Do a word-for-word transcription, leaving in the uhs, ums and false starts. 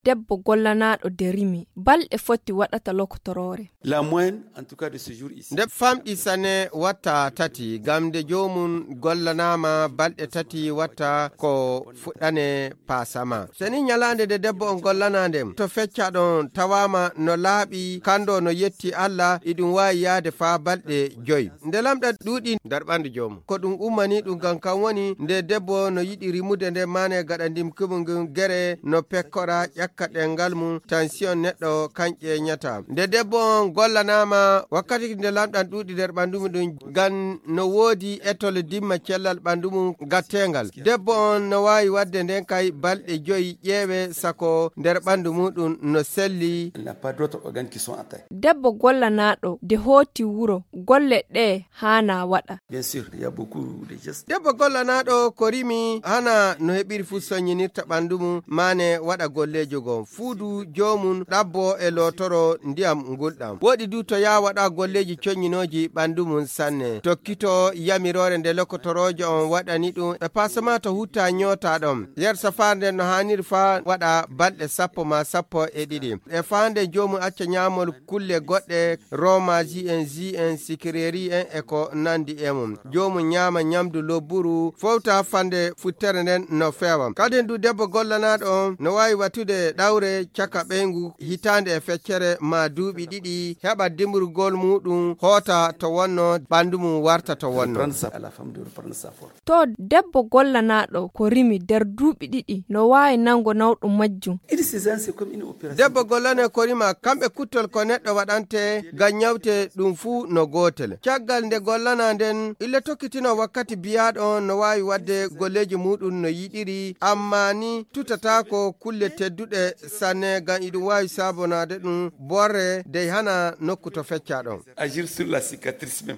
debbo gollanaaɗo de rimi, balɗe foti waɗata lokotoroore? La moyenne, en tout cas, de ce jour ici. Nde famɗi sane watta tati, gam nde joomum gollanaama balɗe tati watta ko fuɗɗane paasama. Seni nyalaande nde debbo on gollanaa nden, to fecca ɗon tawaama no laaɓi, kando no yetti Allah, iɗum waawi yaade faa balɗe joy. Nde lamɗam ɗuuɗi nder ɓandu joomum. Ko ɗum ummani ɗum gam kan woni nde debbo no yiɗi rimude nde maane gaɗa ndimkumu ngun gere no pekkora ƴakka ɗengal mum, tension neɗɗo kan ƴeeñata. Nde debbo on gollanaama wakkati nde lamɗam ɗuuɗi nder ɓandu mum ɗum gam no woodi etol dimma cellal ɓandu mum gatteengal. Debbo on no waawi waɗde nden kay balɗe joy ƴeewe sako nder ɓandu muɗum no selli. Il n'a pas d'autres organes qui sont atteints. Debbo gollanaaɗo de hooti wuro, golle ɗe haana waɗa? Bien sûr, il y a beaucoup de gestes. Debbo gollanaaɗo ko rimi hana no heɓiri fu soññinirta ɓandu mum, maane waɗa golleejo goo. Fuudu joomum ɗabbo e lootoro ndiyam ngulɗam. Woɗi du to yaa waɗa golleeji coññinooji ɓandu mum sanne. Tokkito yamiroore nde lokotoroojo on waɗani ɗum e paasama to hutta ñoota ɗon. Yer safaare nden no haaniri faa waɗa balɗe sappo maa sappo e ɗiɗi. E faande joomum acca ñaamol kulle goɗɗe, roomaaji en, ji en, sikireri en e ko nandi e mum. Joomum ñaama ñamdu lobburu, fowta fande futtere nden no feewa. Kadin du debbo gollanaaɗo on no waawi wattude ɗawre caka ɓeyngu hitaande e feccere maa duuɓi ɗiɗi, heɓa dimrugol muɗum hoota to wonno, ɓandu mum warta to wonno. Reprendre sa, à la femme de reprendre sa forme. To debbo gollanaaɗo ko rimi nder duuɓi ɗiɗi no waawi nango nawɗum majjum. Une césarienne, c'est comme une opération. Debbo gollane ko rima, kamɓe kuttol ko neɗɗo waɗante ngam ñawte ɗum fuu no gootel. Caggal nde gollana nden, ille tokkitino wakkati biyaaɗo on no waawi waɗde golleeji muɗum no yiɗiri, amma ni tutataako kulle tedduɗe sanne ngam iɗum waawi sabonaade ɗum borre dey hana nokku to fecca ɗon. Agir sur la cicatrice même.